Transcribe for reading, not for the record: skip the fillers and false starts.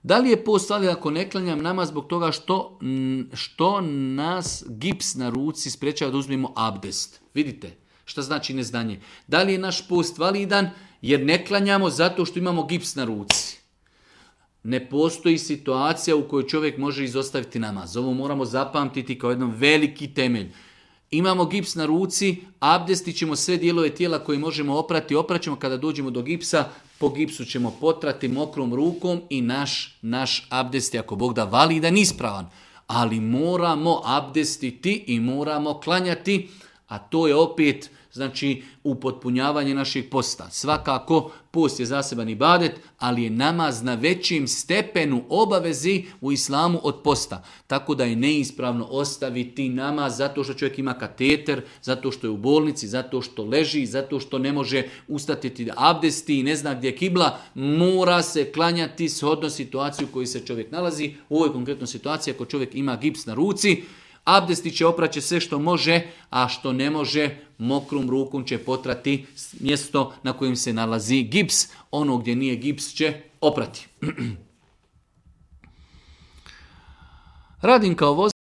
Da li je post validan ako ne klanjam namaz zbog toga što nas gips na ruci sprečava da uzmemo abdest? Vidite, šta znači neznanje? Da li je naš post validan jer ne klanjamo zato što imamo gips na ruci? Ne postoji situacija u kojoj čovjek može izostaviti namaz. Ovo moramo zapamtiti kao jedan veliki temelj. Imamo gips na ruci, abdestit ćemo sve dijelove tijela koje možemo oprati, opraćemo kada dođemo do gipsa, po gipsu ćemo potrati mokrom rukom i naš abdest je ako Bog da validan ispravan. Ali moramo abdestiti i moramo klanjati, a to je opet znači upotpunjavanje našeg posta. Svakako post je zaseban ibadet, ali je namaz na većim stepenu obavezi u islamu od posta. Tako da je neispravno ostaviti namaz zato što čovjek ima kateter, zato što je u bolnici, zato što leži, zato što ne može ustati da abdesti i ne zna gdje je kibla. Mora se klanjati shodno situaciju u kojoj se čovjek nalazi. U ovoj konkretnoj situaciji ako čovjek ima gips na ruci, abdesti će opraće sve što može, a što ne može, mokrom rukom će potrati mjesto na kojem se nalazi gips. Ono gdje nije gips će oprati. Radim kao vozač.